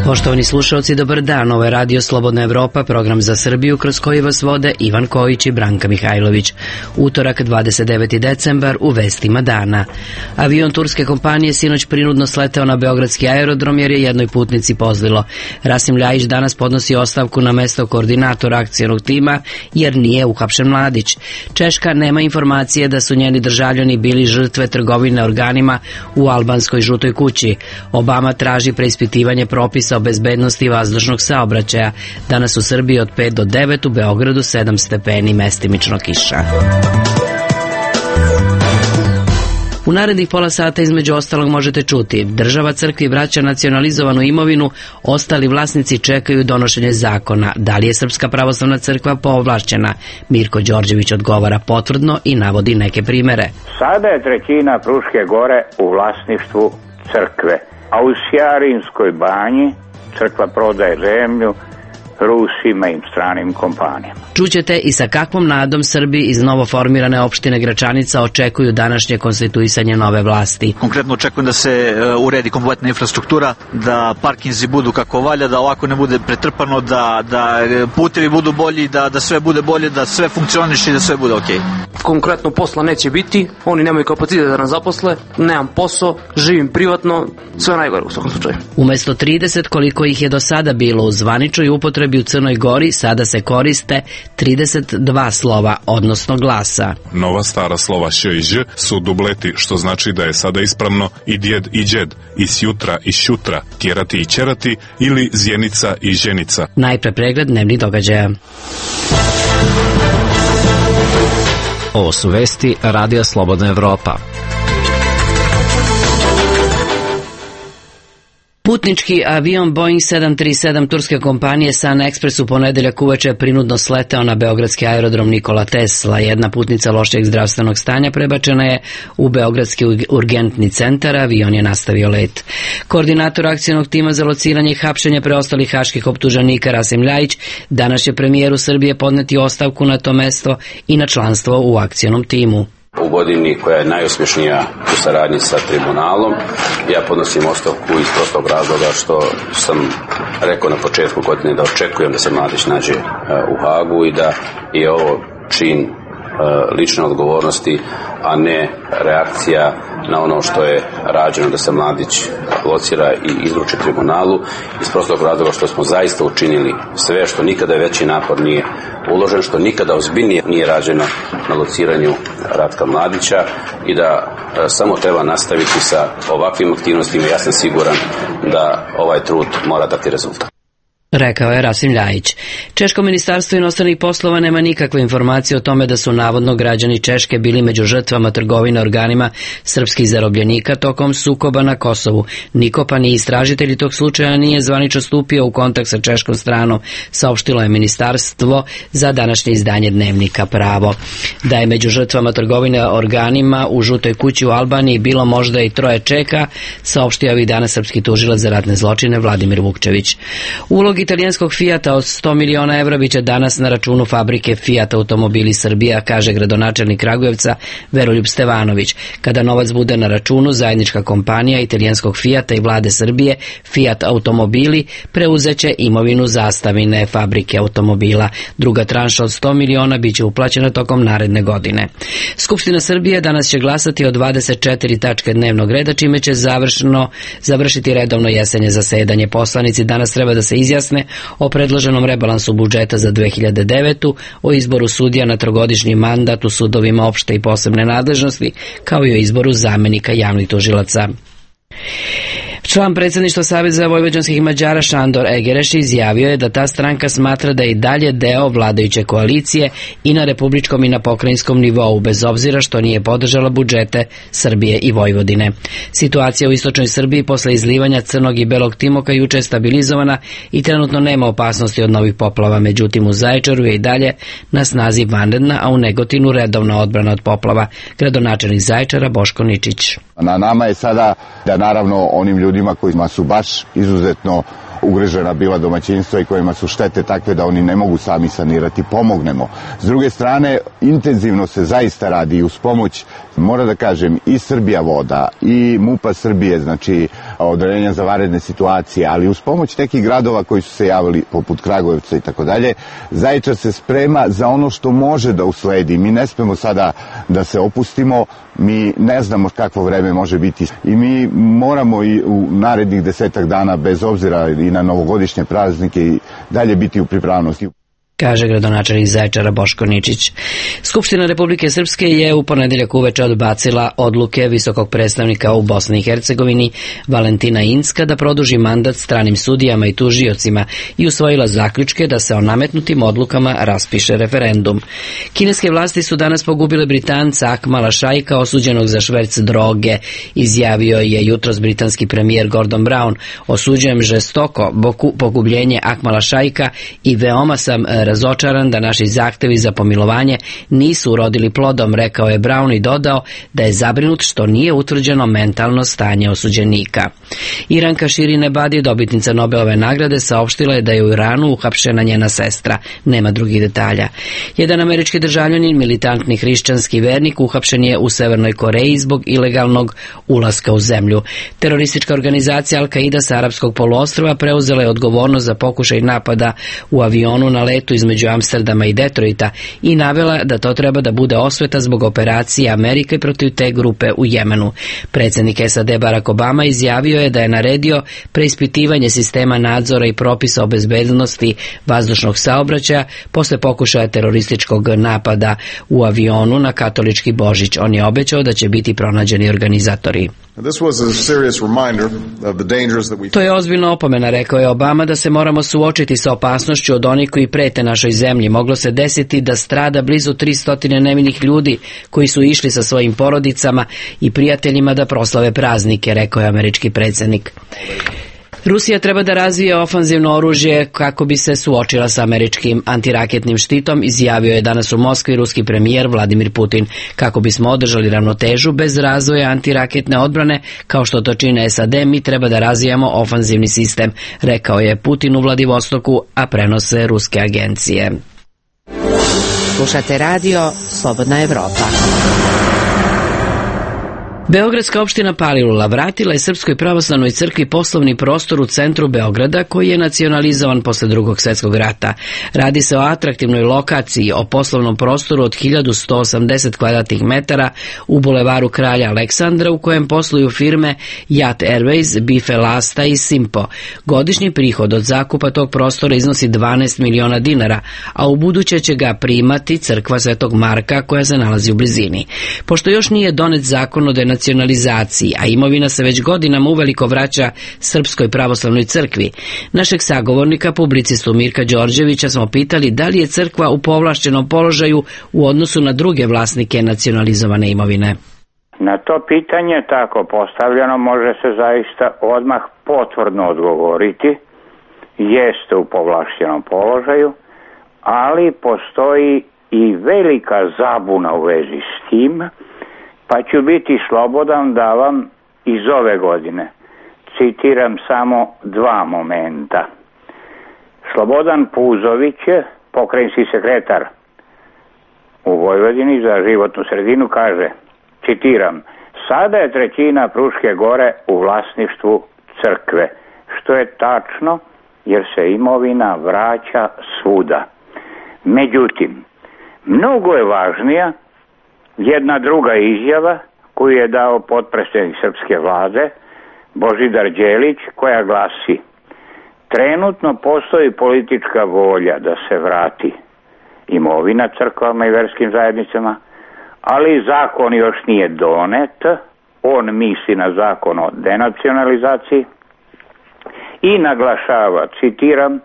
Poštovani slušalci, dobar dan. Ovo je Radio Slobodna Evropa, program za Srbiju kroz koji vas vode Ivan Kojić i Branka Mihajlović. Utorak, 29. decembar, u vestima dana. Avion turske kompanije sinoć prinudno sleteo na beogradski aerodrom jer je jednoj putnici pozlilo. Rasim Ljajić danas podnosi ostavku na mesto koordinatora akcionog tima jer nije uhapšen Mladić. Češka nema informacije da su njeni državljani bili žrtve trgovine organima u albanskoj žutoj kući. Obama traži preispitivanje propisa o bezbednosti vazdušnog saobraćaja. Danas u Srbiji od 5 do 9, u Beogradu 7 stepeni, mestimično kiša. U narednih pola sata između ostalog možete čuti: država crkvi vraća nacionalizovanu imovinu, ostali vlasnici čekaju donošenje zakona. Da li je Srpska pravoslavna crkva povlašćena? Mirko Đorđević odgovara potvrdno i navodi neke primere. Sada je trećina Fruške gore u vlasništvu crkve, a u Sjarinskoj banji crkva prodaje zemlju Rusima i stranim kompanijama. Čućete i sa kakvom nadom Srbi iz novoformirane opštine Gračanica očekuju današnje konstituisanje nove vlasti. Konkretno očekujem da se uredi kompletna infrastruktura, da parkinzi budu kako valja, da ovako ne bude pretrpano, da putevi budu bolji, da sve bude bolje, da sve funkcioniše i da sve bude okej. Konkretno posla neće biti, oni nemaju kapacitet da nas zaposle, nemam posao, živim privatno, sve najgore u svakom slučaju. Umesto 30 koliko ih je do sada bilo u zvaničnoj upotrebi u Crnoj Gori, sada se koriste 32 slova, odnosno glasa. Nova stara slova š i ž su dubleti, što znači da je sada ispravno i djed i džed, i sjutra i šutra, tjerati i ćerati ili zjenica i ženica. Najpre pregled dnevnih događaja. Ovo su vesti Radija Slobodna Evropa. Putnički avion Boeing 737 turske kompanije Sun Express u ponedeljak uveče prinudno sleteo na beogradski aerodrom Nikola Tesla. Jedna putnica lošijeg zdravstvenog stanja prebačena je u beogradski urgentni centar, avion je nastavio let. Koordinator akcionog tima za lociranje i hapšenje preostalih haških optuženika Rasim Ljajić danas će premijeru Srbije podneti ostavku na to mesto i na članstvo u akcionom timu. U godini koja je najuspješnija u saradnji sa tribunalom, ja podnosim ostavku iz prostog razloga što sam rekao na početku godine da očekujem da se Mladić nađe u Hagu i da je ovo čin lične odgovornosti, a ne reakcija na ono što je rađeno da se Mladić locira i izruči tribunalu, iz prostog razloga što smo zaista učinili sve, što nikada veći napor nije uložen, što nikada ozbiljnije nije rađeno na lociranju Ratka Mladića i da samo treba nastaviti sa ovakvim aktivnostima. Ja sam siguran da ovaj trud mora dati rezultat. Rekao je Rasim Ljajić. Češko ministarstvo inostranih poslova nema nikakve informacije o tome da su navodno građani Češke bili među žrtvama trgovine organima srpskih zarobljenika tokom sukoba na Kosovu. Niko pa ni istražitelji tog slučaja nije zvanično stupio u kontakt sa češkom stranom, saopštilo je ministarstvo za današnje izdanje dnevnika Pravo. Da je među žrtvama trgovine organima u žutoj kući u Albaniji bilo možda i 3 Čeka, saopštio ovih dana srpski tužilac za ratne zločine Vladimir Vukčević. Ulog italijanskog Fijata od 100 miliona evra biće danas na računu fabrike Fiat Automobili Srbija, kaže gradonačelnik Kragujevca Veroljub Stevanović. Kada novac bude na računu, zajednička kompanija italijanskog Fijata i vlade Srbije, Fiat Automobili, preuzeće imovinu zastavine fabrike automobila. Druga tranša od 100 miliona biće uplaćena tokom naredne godine. Skupština Srbije danas će glasati o 24 tačke dnevnog reda, čime će završiti redovno jesenje zasedanje. Poslanici danas treba da se izjasne o predloženom rebalansu budžeta za 2009. o izboru sudija na 3-godišnji mandat u sudovima opšte i posebne nadležnosti, kao i o izboru zamenika javnih tužilaca. Član predsjedništva Saveza vojvođanskih Mađara Šandor Egereš izjavio je da ta stranka smatra da je i dalje deo vladajuće koalicije i na republičkom i na pokrajinskom nivou, bez obzira što nije podržala budžete Srbije i Vojvodine. Situacija u istočnoj Srbiji posle izlivanja crnog i belog timoka juče je stabilizovana i trenutno nema opasnosti od novih poplava, međutim u Zaječaru je i dalje na snazi vanredna, a u Negotinu redovna odbrana od poplava. Gradonačelnik Zaječara Boško Ničić. Na nama je sada da naravno onim ljudima kojima su baš izuzetno ugrožena bila domaćinstva i kojima su štete takve da oni ne mogu sami sanirati, pomognemo. S druge strane, intenzivno se zaista radi uz pomoć, mora da kažem, i Srbija voda i MUP-a Srbije, znači odeljenja za vanredne situacije, ali uz pomoć nekih gradova koji su se javili, poput Kragujevca i tako dalje, Zaječar se sprema za ono što može da usledi. Mi ne smemo sada da se opustimo, mi ne znamo kakvo vreme može biti i mi moramo i u narednih 10 dana, bez obzira i na novogodišnje praznike, i dalje biti u pripravnosti. Kaže gradonačelnik Zaječara Boško Ničić. Skupština Republike Srpske je u ponedeljak uveče odbacila odluke visokog predstavnika u Bosni i Hercegovini Valentina Incka da produži mandat stranim sudijama i tužiocima i usvojila zaključke da se o nametnutim odlukama raspiše referendum. Kineske vlasti su danas pogubile Britanca Akmala Šajka, osuđenog za šverc droge. Izjavio je jutros britanski premijer Gordon Brown: "Osuđujem žestoko pogubljenje Akmala Šajka i veoma sam razočaran da naši zahtevi za pomilovanje nisu urodili plodom", rekao je Brown i dodao da je zabrinut što nije utvrđeno mentalno stanje osuđenika. Iranka Shirin Ebadi, dobitnica Nobelove nagrade, saopštila je da je u Iranu uhapšena njena sestra. Nema drugih detalja. Jedan američki državljanin, militantni hrišćanski vernik, uhapšen je u Severnoj Koreji zbog ilegalnog ulaska u zemlju. Teroristička organizacija Al-Qaida sa arapskog poluostrva preuzela je odgovornost za pokušaj napada u avionu na letu između Amsterdama i Detroita i navela da to treba da bude osveta zbog operacije Amerike protiv te grupe u Jemenu. Predsjednik SAD Barack Obama izjavio je da je naredio preispitivanje sistema nadzora i propisa o bezbednosti vazdušnog saobraćaja posle pokušaja terorističkog napada u avionu na katolički Božić. On je obećao da će biti pronađeni organizatori. To je ozbiljna opomena, rekao je Obama, da se moramo suočiti sa opasnošću od onih koji prete našoj zemlji. Moglo se desiti da strada blizu 300 nevinih ljudi koji su išli sa svojim porodicama i prijateljima da proslave praznike, rekao je američki predsjednik. Rusija treba da razvije ofanzivno oružje kako bi se suočila sa američkim antiraketnim štitom, izjavio je danas u Moskvi ruski premijer Vladimir Putin. Kako bismo održali ravnotežu bez razvoja antiraketne odbrane, kao što to čine SAD, mi treba da razvijamo ofanzivni sistem, rekao je Putin u Vladivostoku, a prenose ruske agencije. Slušate radio Slobodna Evropa. Beogradska opština Palilula vratila je Srpskoj pravoslavnoj crkvi poslovni prostor u centru Beograda koji je nacionalizovan posle Drugog svjetskog rata. Radi se o atraktivnoj lokaciji, o poslovnom prostoru od 1180 kvadratnih metara u bulevaru Kralja Aleksandra u kojem posluju firme Jat Airways, Bife Lasta i Simpo. Godišnji prihod od zakupa tog prostora iznosi 12 miliona dinara, a u buduće će ga primati crkva Svetog Marka koja se nalazi u blizini. Pošto još nije donet zakon o denacionalizaciji, a imovina se već godinama uveliko vraća Srpskoj pravoslavnoj crkvi, našeg sagovornika, publicistu Mirka Đorđevića, smo pitali da li je crkva u povlašćenom položaju u odnosu na druge vlasnike nacionalizovane imovine. Na to pitanje tako postavljeno može se zaista odmah potvrdno odgovoriti. Jeste u povlašćenom položaju, ali postoji i velika zabuna u vezi s tim, pa ću biti slobodan da vam iz ove godine citiram samo dva momenta. Slobodan Puzović, pokrajinski sekretar u Vojvodini za životnu sredinu, kaže, citiram: "Sada je trećina Fruške gore u vlasništvu crkve", što je tačno jer se imovina vraća svuda. Međutim, mnogo je važnija jedna druga izjava koju je dao potpredsjednik srpske vlade Božidar Đelić, koja glasi: "Trenutno postoji politička volja da se vrati imovina crkvama i verskim zajednicama, ali zakon još nije donet." On misli na zakon o denacionalizaciji i naglašava, citiram: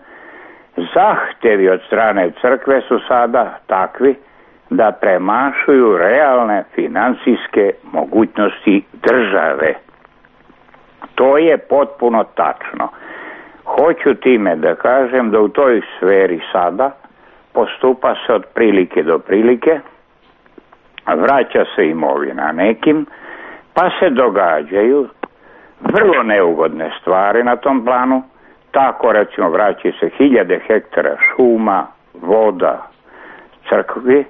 "Zahtevi od strane crkve su sada takvi da premašuju realne finansijske mogućnosti države." To je potpuno tačno. Hoću time da kažem da u toj sferi sada postupa se od prilike do prilike, vraća se imovina nekim, pa se događaju vrlo neugodne stvari na tom planu. Tako recimo vraćaju se 1000 hektara šuma, voda, crkvi,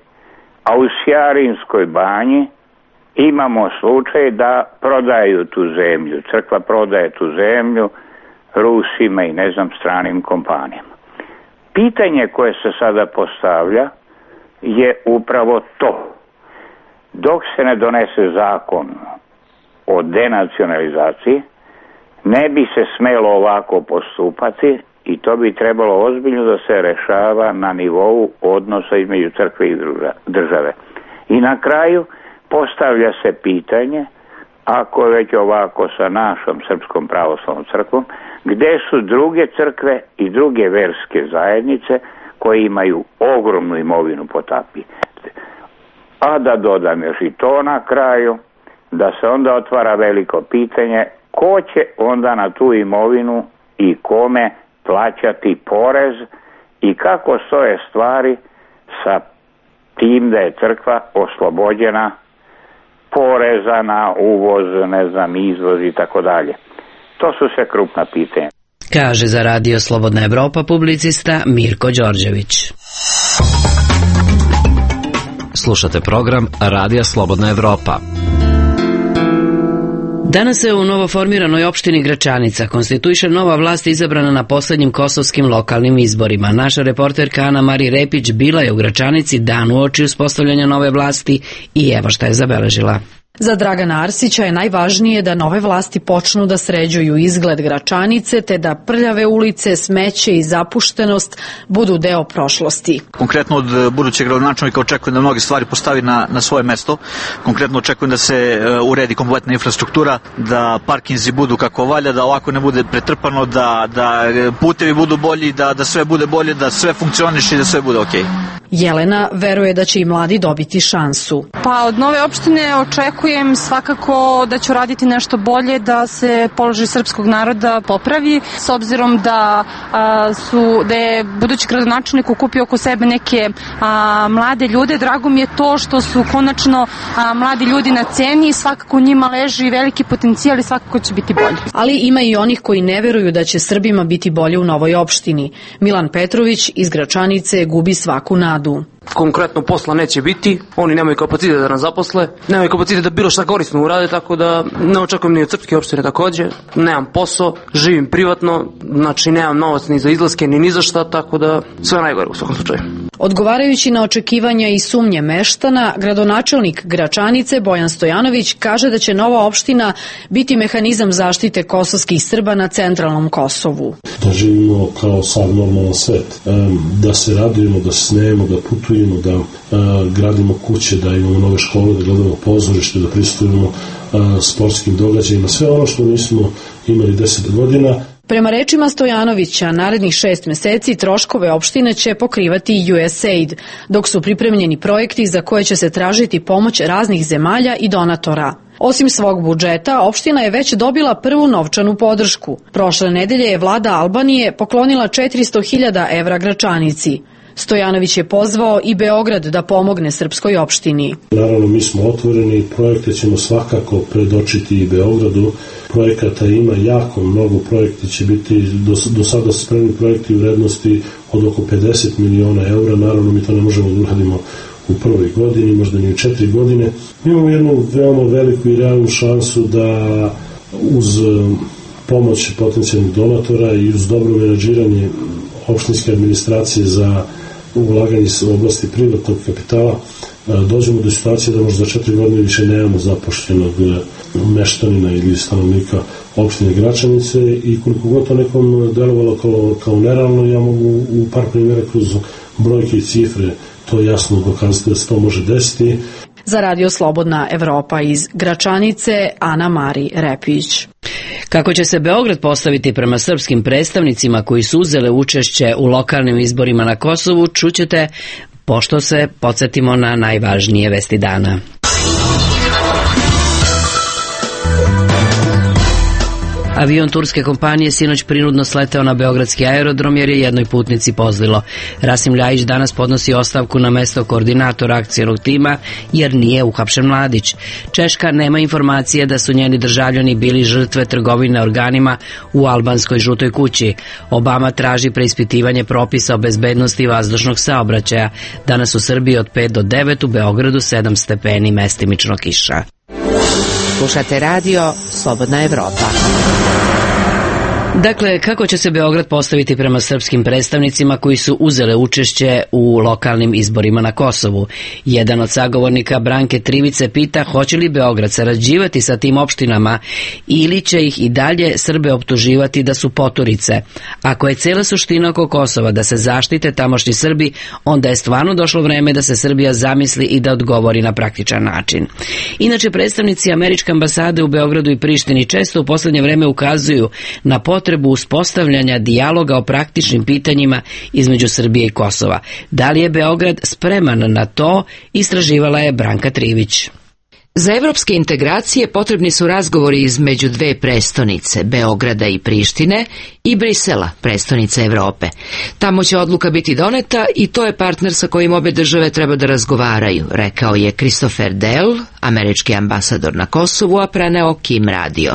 a u Sjarinskoj banji imamo slučaj da prodaju tu zemlju. Crkva prodaje tu zemlju Rusima i stranim kompanijama. Pitanje koje se sada postavlja je upravo to. Dok se ne donese zakon o denacionalizaciji, ne bi se smelo ovako postupati i to bi trebalo ozbiljno da se rešava na nivou odnosa između crkve i države. I na kraju postavlja se pitanje, ako je već ovako sa našom Srpskom pravoslavnom crkvom, gde su druge crkve i druge verske zajednice koje imaju ogromnu imovinu po tapi. A da dodam još i to na kraju, da se onda otvara veliko pitanje ko će onda na tu imovinu i kome plaćati porez i kako stoje stvari sa tim da je crkva oslobođena poreza na uvoz, izvoz i tako dalje. To su sve krupna pitanja. Kaže za Radio Slobodna Evropa publicista Mirko Đorđević. Slušate program Radija Slobodna Evropa. Danas se u novoformiranoj opštini Gračanica konstituiše nova vlast izabrana na poslednjim kosovskim lokalnim izborima. Naša reporterka Ana Mari Repić bila je u Gračanici dan uoči uspostavljanja nove vlasti i evo šta je zabeležila. Za Dragana Arsića je najvažnije da nove vlasti počnu da sređuju izgled Gračanice, te da prljave ulice, smeće i zapuštenost budu deo prošlosti. Konkretno od budućeg gradonačelnika očekujem da mnoge stvari postavi na svoje mesto. Konkretno očekujem da se uredi kompletna infrastruktura, da parkinzi budu kako valja, da ovako ne bude pretrpano, da putevi budu bolji, da sve bude bolje, da sve funkcioniše i da sve bude okej. Jelena veruje da će i mladi dobiti šansu. Pa od nove opštine očekujem svakako da ću raditi nešto bolje, da se položaj srpskog naroda popravi, s obzirom da je budući gradonačelnik okupio oko sebe neke mlade ljude. Drago mi je to što su konačno mladi ljudi na ceni i svakako njima leži veliki potencijal i svakako će biti bolje. Ali ima i onih koji ne veruju da će Srbima biti bolje u novoj opštini. Milan Petrović iz Gračanice gubi svaku nadu. Konkretno posla neće biti, oni nemaju kapacitet da nas zaposle, nemaju kapacitet da bilo šta korisno urade, tako da ne očekujem ni od srpske opštine takođe, nemam posao, živim privatno, znači nemam novac ni za izlaske ni za šta, tako da sve najgore u svakom slučaju. Odgovarajući na očekivanja i sumnje meštana, gradonačelnik Gračanice Bojan Stojanović kaže da će nova opština biti mehanizam zaštite kosovskih Srba na centralnom Kosovu. Da živimo kao sad normalan svet, da se radujemo, da se smejemo, da putujemo, da gradimo kuće, da imamo nove škole, da gledamo pozorište, da pristupimo sportskim događajima, sve ono što nismo imali 10 godina. Prema rečima Stojanovića, narednih 6 meseci troškove opštine će pokrivati USAID, dok su pripremljeni projekti za koje će se tražiti pomoć raznih zemalja i donatora. Osim svog budžeta, opština je već dobila prvu novčanu podršku. Prošle nedelje je vlada Albanije poklonila 400.000 evra Gračanici. Stojanović je pozvao i Beograd da pomogne srpskoj opštini. Naravno, mi smo otvoreni, projekte ćemo svakako predočiti i Beogradu. Projekata ima jako mnogo, projekti će biti do sada spremni projekti u vrednosti od oko 50 miliona eura. Naravno, mi to ne možemo da uradimo u prvoj godini, možda ni u 4 godine. Mi imamo jednu veoma veliku i realnu šansu da uz pomoć potencijalnih donatora i uz dobro menadžiranje opštinske administracije za ulaganje u oblasti privatnog kapitala dođemo do situacije da možda za 4 godine više nemamo zapošljenog meštanina ili stanovnika opštine Gračanice i koliko god to nekom delovalo kao nerealno, ja mogu u par primjera kroz brojke i cifre to jasno dokazati da se to može desiti. Za Radio Slobodna Evropa iz Gračanice, Ana Mari Repić. Kako će se Beograd postaviti prema srpskim predstavnicima koji su uzele učešće u lokalnim izborima na Kosovu, čućete pošto se podsjetimo na najvažnije vesti dana. Avion turske kompanije sinoć prinudno sleteo na beogradski aerodrom jer je jednoj putnici pozlilo. Rasim Ljajić danas podnosi ostavku na mesto koordinatora akcionog tima jer nije uhapšen Mladić. Češka nema informacije da su njeni državljani bili žrtve trgovine organima u albanskoj žutoj kući. Obama traži preispitivanje propisa o bezbednosti vazdušnog saobraćaja. Danas u Srbiji od 5 do 9, u Beogradu 7 stepeni, mestimično kiša. Slušate radio Slobodna Evropa. Dakle, kako će se Beograd postaviti prema srpskim predstavnicima koji su uzele učešće u lokalnim izborima na Kosovu? Jedan od sagovornika Branke Trivice pita hoće li Beograd sarađivati sa tim opštinama ili će ih i dalje Srbe optuživati da su poturice. Ako je cela suština oko Kosova da se zaštite tamošnji Srbi, onda je stvarno došlo vreme da se Srbija zamisli i da odgovori na praktičan način. Inače, predstavnici američke ambasade u Beogradu i Prištini često u poslednje vreme ukazuju na potrebu uspostavljanja dijaloga o praktičnim pitanjima između Srbije i Kosova. Da li je Beograd spreman na to, istraživala je Branka Trivić. Za evropske integracije potrebni su razgovori između dve prestonice, Beograda i Prištine, i Brisela, prestonice Evrope. Tamo će odluka biti doneta i to je partner sa kojim obe države treba da razgovaraju, rekao je Christopher Dell, američki ambasador na Kosovu, a preneo Kim radio.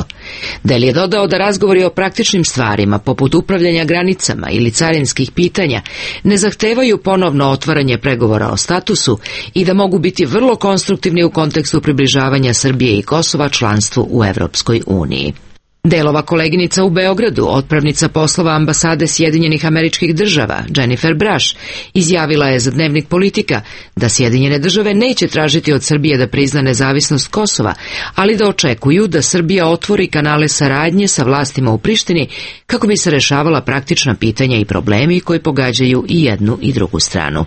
Dell je dodao da razgovori o praktičnim stvarima, poput upravljanja granicama ili carinskih pitanja, ne zahtevaju ponovno otvaranje pregovora o statusu i da mogu biti vrlo konstruktivni u kontekstu približavanja Srbije i Kosova članstvu u Evropskoj uniji. Delova koleginica u Beogradu, otpravnica poslova ambasade Sjedinjenih Američkih Država, Jennifer Brash, izjavila je za Dnevnik Politika da Sjedinjene Države neće tražiti od Srbije da prizna nezavisnost Kosova, ali da očekuju da Srbija otvori kanale saradnje sa vlastima u Prištini kako bi se rešavala praktična pitanja i problemi koji pogađaju i jednu i drugu stranu.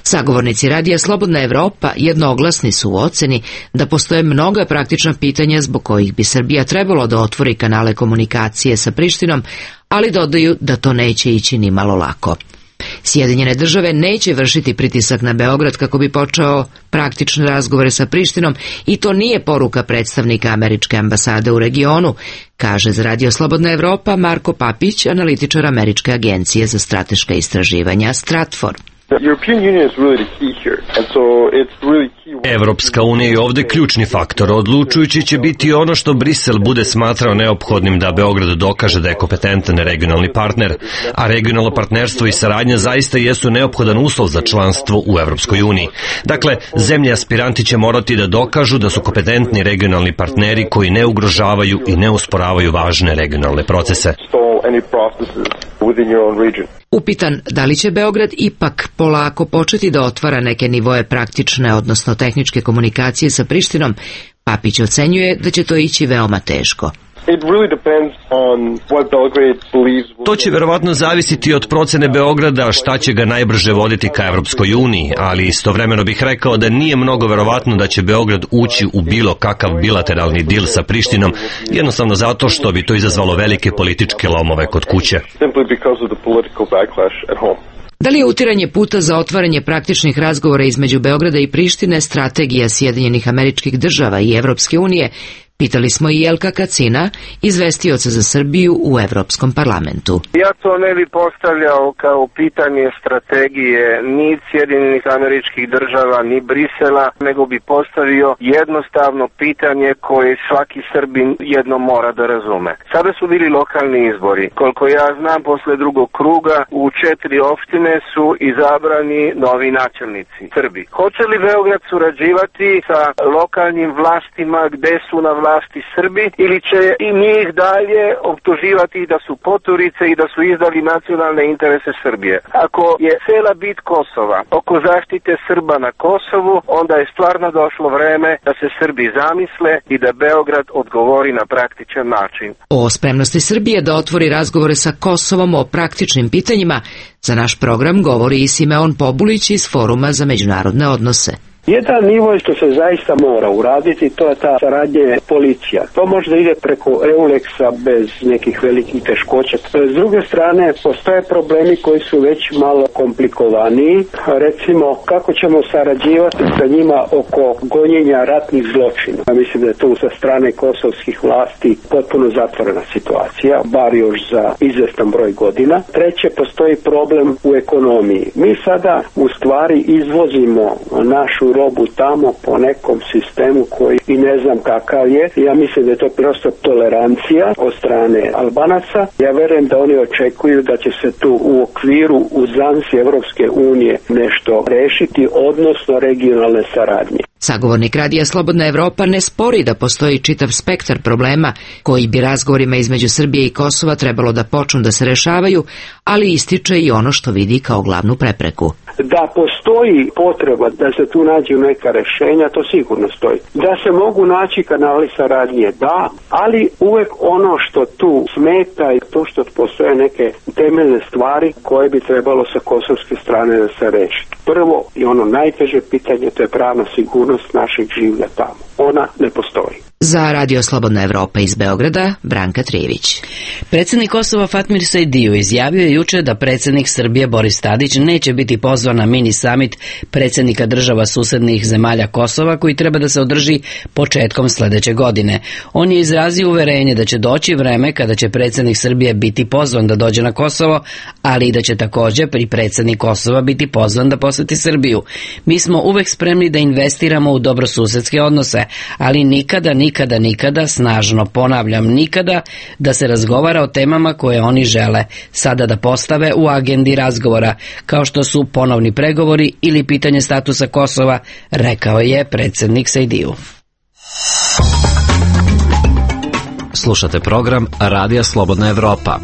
Sagovornici radija Slobodna Evropa jednoglasni su u oceni da postoje mnoga praktična pitanja zbog kojih bi Srbija trebalo da otvori kanale komunikacije sa Prištinom, ali dodaju da to neće ići ni malo lako. Sjedinjene Države neće vršiti pritisak na Beograd kako bi počeo praktične razgovore sa Prištinom i to nije poruka predstavnika američke ambasade u regionu, kaže za radio Slobodna Evropa Marko Papić, analitičar američke agencije za strateška istraživanja Stratfor. Evropska unija je ovde ključni faktor. Odlučujući će biti ono što Brisel bude smatrao neophodnim da Beograd dokaže da je kompetentan regionalni partner, a regionalno partnerstvo i saradnja zaista jesu neophodan uslov za članstvo u Evropskoj uniji. Dakle, zemlje aspiranti će morati da dokažu da su kompetentni regionalni partneri koji ne ugrožavaju i ne usporavaju važne regionalne procese. Upitan da li će Beograd ipak polako početi da otvara neke nivoe praktične, odnosno tehničke komunikacije sa Prištinom, Papić ocenjuje da će to ići veoma teško. To će verovatno zavisiti od procene Beograda šta će ga najbrže voditi ka Evropskoj uniji, ali istovremeno bih rekao da nije mnogo verovatno da će Beograd ući u bilo kakav bilateralni dil sa Prištinom, jednostavno zato što bi to izazvalo velike političke lomove kod kuće. Da li je utiranje puta za otvaranje praktičnih razgovora između Beograda i Prištine strategija Sjedinjenih Američkih Država i Evropske unije? Pitali smo i Jelka Kacina, izvestioca za Srbiju u Evropskom parlamentu. Ja to ne bi postavljao kao pitanje strategije ni Sjedinjenih Američkih Država, ni Brisela, nego bi postavio jednostavno pitanje koje svaki Srbin jedno mora da razume. Sada su bili lokalni izbori. Koliko ja znam, posle drugog kruga u 4 opštine su izabrani novi načelnici Srbi. Hoće li Beograd surađivati sa lokalnim vlastima gde su na vlasti Srbi ili će i njih dalje optuživati da su poturice i da su izdali nacionalne interese Srbije? Ako je cela bit Kosova oko zaštite Srba na Kosovu, onda je stvarno došlo vreme da se Srbi zamisle i da Beograd odgovori na praktičan način. O spremnosti Srbije da otvori razgovore sa Kosovom o praktičnim pitanjima za naš program govori i Simeon Pobulić iz Foruma za međunarodne odnose. Jedan nivo što se zaista mora uraditi, to je ta saradnja policija. To možda ide preko EULEX-a bez nekih velikih teškoća. S druge strane, postoje problemi koji su već malo komplikovaniji. Recimo, kako ćemo sarađivati sa njima oko gonjenja ratnih zločina. Ja mislim da je tu sa strane kosovskih vlasti potpuno zatvorena situacija, bar još za izvestan broj godina. Treće, postoji problem u ekonomiji. Mi sada u stvari izvozimo našu robu tamo po nekom sistemu koji i ne znam kakav je. Ja mislim da je to prosto tolerancija od strane Albanaca. Ja verujem da oni očekuju da će se tu u okviru uzanci Evropske unije nešto rešiti, odnosno regionalne saradnje. Sagovornik Radija Slobodna Evropa ne spori da postoji čitav spektar problema koji bi razgovorima između Srbije i Kosova trebalo da počnu da se rešavaju, ali ističe i ono što vidi kao glavnu prepreku. Da postoji potreba da se tu nađu neka rešenja, to sigurno stoji. Da se mogu naći kanali saradnje, da, ali uvek ono što tu smeta je to što postoje neke temeljne stvari koje bi trebalo sa kosovske strane da se reši. Prvo i ono najteže pitanje, to je pravna sigurnost našeg življa tamo. Ona ne postoji. Za Radio Slobodna Evropa iz Beograda, Branka Trijević. Predsjednik Kosova Fatmir Sajdiju izjavio je juče da predsjednik Srbije Boris Tadić neće biti pozvan na mini summit predsjednika država susednih zemalja Kosova koji treba da se održi početkom sljedeće godine. On je izrazio uverenje da će doći vreme kada će predsjednik Srbije biti pozvan da dođe na Kosovo, ali i da će također i predsjednik Kosova biti pozvan da posjeti Srbiju. Mi smo uvek spremni da investiramo u dobrosusedske odnose, ali nikada, snažno ponavljam, nikada da se razgovara o temama koje oni žele sada da postave u agendi razgovora, kao što su ponovni pregovori ili pitanje statusa Kosova, rekao je predsjednik Sajdiju. Slušate program Radija Slobodna Evropa.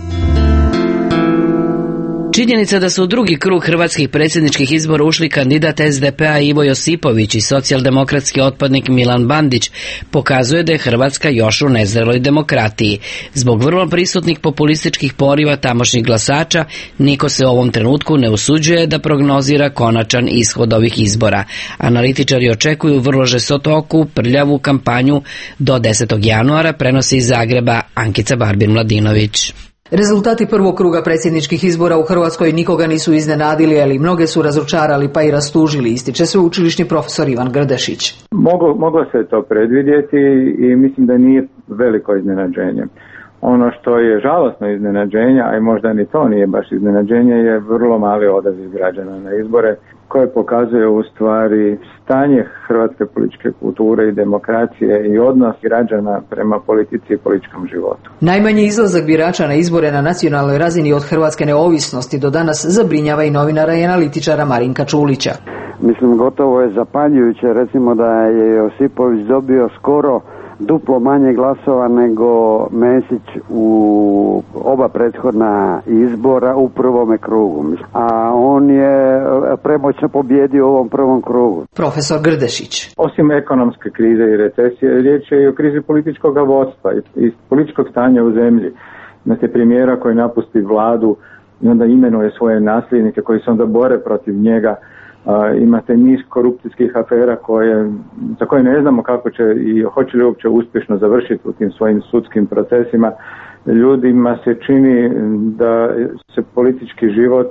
Činjenica da su u drugi krug hrvatskih predsjedničkih izbora ušli kandidat SDP-a Ivo Josipović i socijaldemokratski otpadnik Milan Bandić pokazuje da je Hrvatska još u nezreloj demokratiji. Zbog vrlo prisutnih populističkih poriva tamošnjih glasača, niko se u ovom trenutku ne usuđuje da prognozira konačan ishod ovih izbora. Analitičari očekuju vrlo žestoku, prljavu kampanju do 10. januara, prenosi iz Zagreba Ankica Barbir-Mladinović. Rezultati prvog kruga predsjedničkih izbora u Hrvatskoj nikoga nisu iznenadili, ali mnoge su razočarali pa i rastužili, ističe sveučilišni profesor Ivan Grdešić. Moglo se to predvidjeti i mislim da nije veliko iznenađenje. Ono što je žalosno iznenađenje, a i možda ni to nije baš iznenađenje, je vrlo mali odaziv građana na izbore, koje pokazuje u stvari stanje hrvatske političke kulture i demokracije i odnos građana prema politici i političkom životu. Najmanji izlazak birača na izbore na nacionalnoj razini od hrvatske neovisnosti do danas zabrinjava i novinara i analitičara Marinka Čulića. Mislim, gotovo je zapanjujuće, recimo da je Josipović dobio skoro duplo manje glasova nego Mesić u oba prethodna izbora u prvome krugu. A on je premoćno pobjedio u ovom prvom krugu. Profesor Grdešić. Osim ekonomske krize i recesije, riječ je i o krizi političkog vodstva i političkog stanja u zemlji. Imate premijera koji napusti vladu i onda imenuje svoje nasljednike koji se onda bore protiv njega. Imate niz korupcijskih afera za koje ne znamo kako će i hoće li uopće uspješno završiti u tim svojim sudskim procesima. Ljudima se čini da se politički život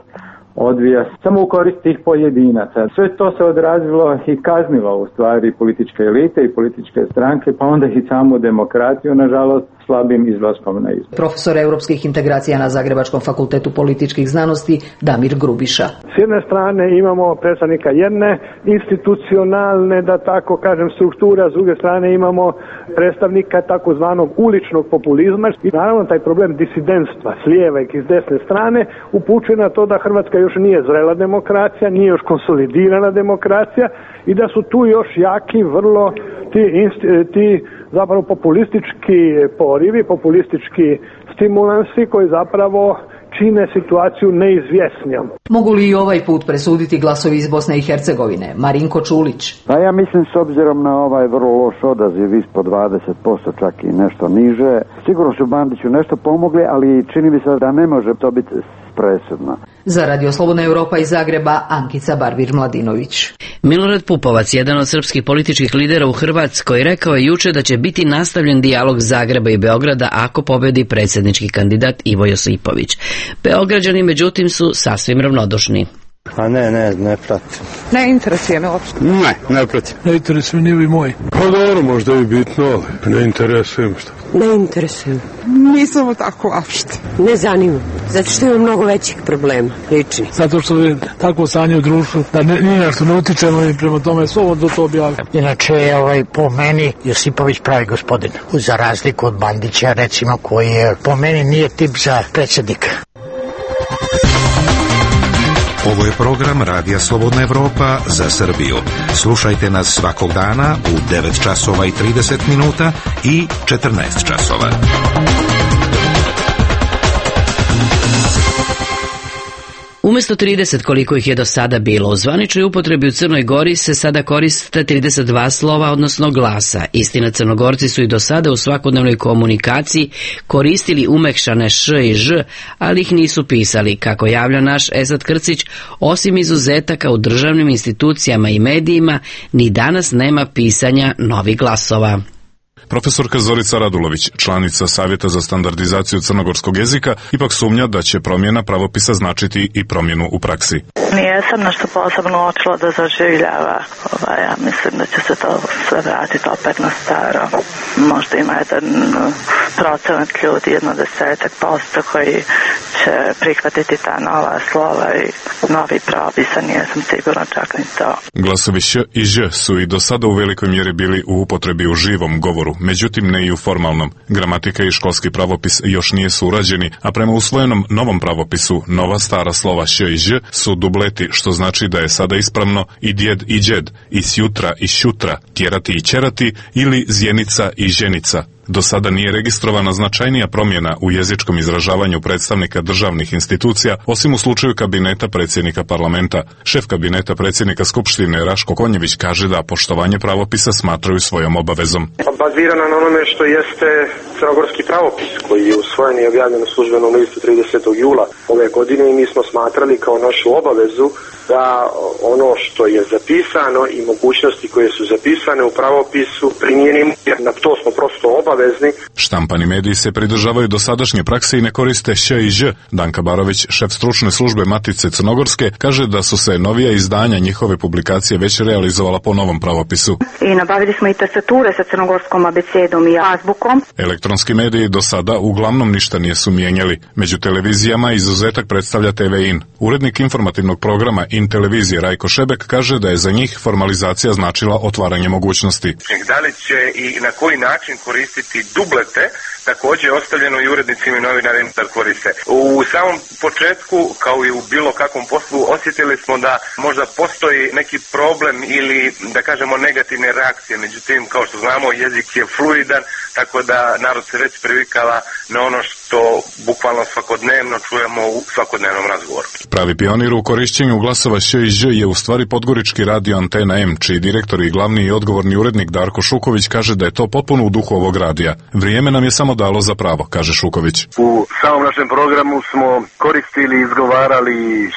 odvija samo u korist tih pojedinaca. Sve to se odrazilo i kaznilo u stvari političke elite i političke stranke, pa onda i samu demokratiju, nažalost, slabim izlaskom na izbor. Profesor europskih integracija na Zagrebačkom fakultetu političkih znanosti Damir Grubiša. S jedne strane imamo predstavnika jedne institucionalne, da tako kažem, struktura, s druge strane imamo predstavnika takozvanog uličnog populizma i naravno taj problem disidentstva s lijeve i s desne strane upućuje na to da Hrvatska još nije zrela demokracija, nije još konsolidirana demokracija i da su tu još jaki vrlo ti zapravo populistički porivi, populistički stimulansi koji zapravo čine situaciju neizvjesnijom. Mogu li i ovaj put presuditi glasovi iz Bosne i Hercegovine? Marinko Čulić. Pa ja mislim, s obzirom na ovaj vrlo loš odaziv ispod 20%, čak i nešto niže, sigurno su Bandiću nešto pomogli, ali čini mi se da ne može to biti presudno. Za Radio Slobodna Evropa iz Zagreba, Ankica Barbir-Mladinović. Milorad Pupovac, jedan od srpskih političkih lidera u Hrvatskoj, rekao je juče da će biti nastavljen dijalog Zagreba i Beograda ako pobedi predsjednički kandidat Ivo Josipović. Beograđani, međutim, su sasvim ravnodušni. A ne pratim. Ne interesuje me uopšte. Ne pratim. Ne interesuje ni vi moji. Pa dobro, možda i bitno, ali ne interesujem što. Ne interesujem. Nisam tako uopšte. Ne zanima. Zato što ima mnogo većih problema, lični. Zato što je tako stanje u društvu da nije nešto ne utičemo i prema tome slobodno to objavljam. Inače je po meni Josipović pravi gospodin. Za razliku od Bandića, recimo, koji je po meni nije tip za predsjednika. Ovo je program Radija Slobodna Evropa za Srbiju. Slušajte nas svakog dana u 9 časova i 30 minuta i 14 časova. Umesto 30 koliko ih je do sada bilo, u zvaničnoj upotrebi u Crnoj Gori se sada koriste 32 slova, odnosno glasa. Istina, Crnogorci su i do sada u svakodnevnoj komunikaciji koristili umekšane š i ž, ali ih nisu pisali. Kako javlja naš Esad Krcić, osim izuzetaka u državnim institucijama i medijima, ni danas nema pisanja novih glasova. Profesorka Zorica Radulović, članica Savjeta za standardizaciju crnogorskog jezika, ipak sumnja da će promjena pravopisa značiti i promjenu u praksi. Nijesam nešto posebno očilo da zaživljava. Ja mislim da će se to sve vratiti opet na staro. Možda ima jedan procenat ljudi, 10% koji će prihvatiti ta nova slova i novi propisa, nijesam sigurno čak ni to. Glasovi š i ž su i do sada u velikoj mjeri bili u upotrebi u živom govoru, međutim ne i u formalnom. Gramatika i školski pravopis još nije su urađeni, a prema usvojenom novom pravopisu nova stara slova š i ž su dubleti, što znači da je sada ispravno i djed i džed, i sjutra i šutra, tjerati i ćerati ili zjenica i ženica. Do sada nije registrovana značajnija promjena u jezičkom izražavanju predstavnika državnih institucija, osim u slučaju kabineta predsjednika parlamenta. Šef kabineta predsjednika Skupštine Raško Konjević kaže da poštovanje pravopisa smatraju svojom obavezom. Bazirana na onome što jeste crnogorski pravopis, koji je usvojen i objavljen u službenom listu 30. jula ove godine, i mi smo smatrali kao našu obavezu da ono što je zapisano i mogućnosti koje su zapisane u pravopisu primijenimo, jer na to smo prosto obavezni. Štampani mediji se pridržavaju dosadašnje prakse i ne koriste š i ž. Danka Barović, šef stručne službe Matice Crnogorske, kaže da su se novija izdanja njihove publikacije već realizovala po novom pravopisu. I nabavili smo i tastature sa crnogorskom abecedom i azbukom. Elektronski mediji do sada uglavnom ništa nisu mijenjali. Među televizijama izuzetak predstavlja TV-in. Urednik informativnog programa In televizije Rajko Šebek kaže da je za njih formalizacija značila otvaranje mogućnosti. Da li će i na koji način koristiti dublete, također je ostavljeno i urednicima i novinarima da koriste. U samom početku, kao i u bilo kakvom poslu, osjetili smo da možda postoji neki problem ili, da kažemo, negativne reakcije. Međutim, kao što znamo, jezik je fluidan, tako da narod se već privikala na ono što bukvalno svakodnevno čujemo u svakodnevnom razgovoru. Pravi pionir u korišćenju glasova š i ž je u stvari podgorički radio Antena M, čiji direktor i glavni i odgovorni urednik Darko Šuković kaže da je to potpuno u duhu ovog radija. Vrijeme nam je samo dalo za pravo, kaže Šuković. U samom našem programu smo koristili, izgovarali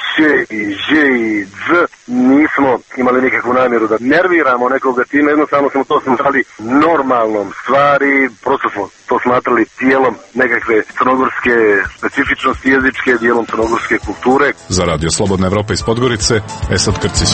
š i ž i dz. Nismo imali nikakvu namjeru da nerviramo nekoga time, jednostavno smo to smatrali normalnom stvari, prosto smo to smatrali dijelom nekakve crnogorske specifičnosti jezičke, dijelom crnogorske kulture. Za Radio Slobodna Evropa iz Podgorice, Esad Krcić.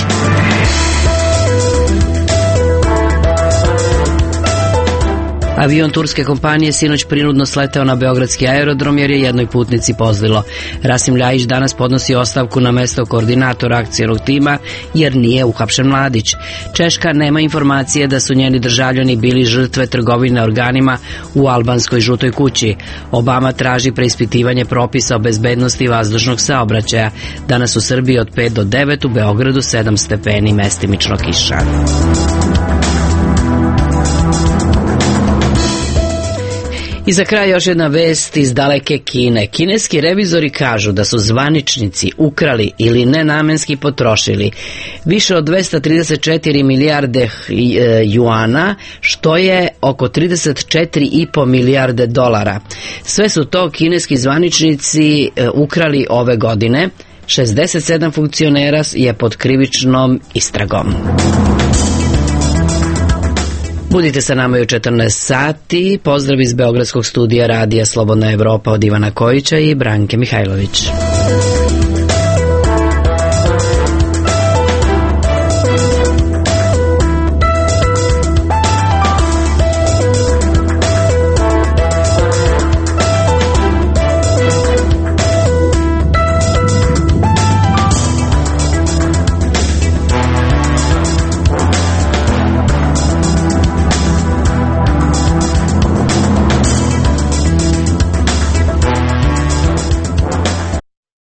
Avion turske kompanije sinoć prinudno sleteo na beogradski aerodrom jer je jednoj putnici pozlilo. Rasim Ljajić danas podnosi ostavku na mesto koordinatora akcionog tima jer nije uhapšen mladić. Češka nema informacije da su njeni državljani bili žrtve trgovine organima u albanskoj žutoj kući. Obama traži preispitivanje propisa o bezbednosti vazdušnog saobraćaja. Danas u Srbiji od 5 do 9, u Beogradu 7 stepeni, mestimično kiša. I za kraj još jedna vest iz daleke Kine. Kineski revizori kažu da su zvaničnici ukrali ili nenamenski potrošili više od 234 milijarde juana, što je oko 34,5 milijarde dolara. Sve su to kineski zvaničnici ukrali ove godine. 67 funkcionera je pod krivičnom istragom. Budite sa nama i u 14 sati. Pozdrav iz Beogradskog studija Radija Slobodna Evropa od Ivana Kojića i Branke Mihajlović.